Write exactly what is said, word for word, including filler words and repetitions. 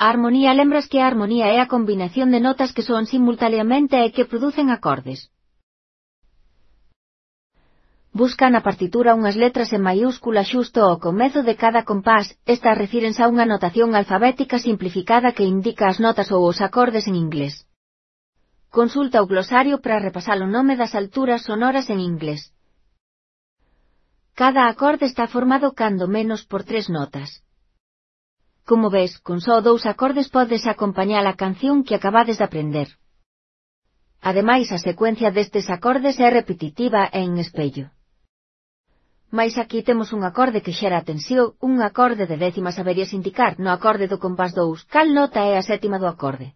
A armonía. Lembras que a armonía é a combinación de notas que soan simultaneamente e que producen acordes. Busca na partitura unhas letras en maiúscula xusto ao comezo de cada compás. Estas refírense a unha notación alfabética simplificada que indica as notas ou os acordes en inglés. Consulta o glosario para repasar o nome das alturas sonoras en inglés. Cada acorde está formado cando menos por tres notas. Como ves, con só dous acordes podes acompañar a canción que acabades de aprender. Ademais, a secuencia destes acordes é repetitiva e en espello. Mais aquí temos un acorde que xera atención, un acorde de décimas. Saberías indicar no acorde do compás dous cal nota é a sétima do acorde.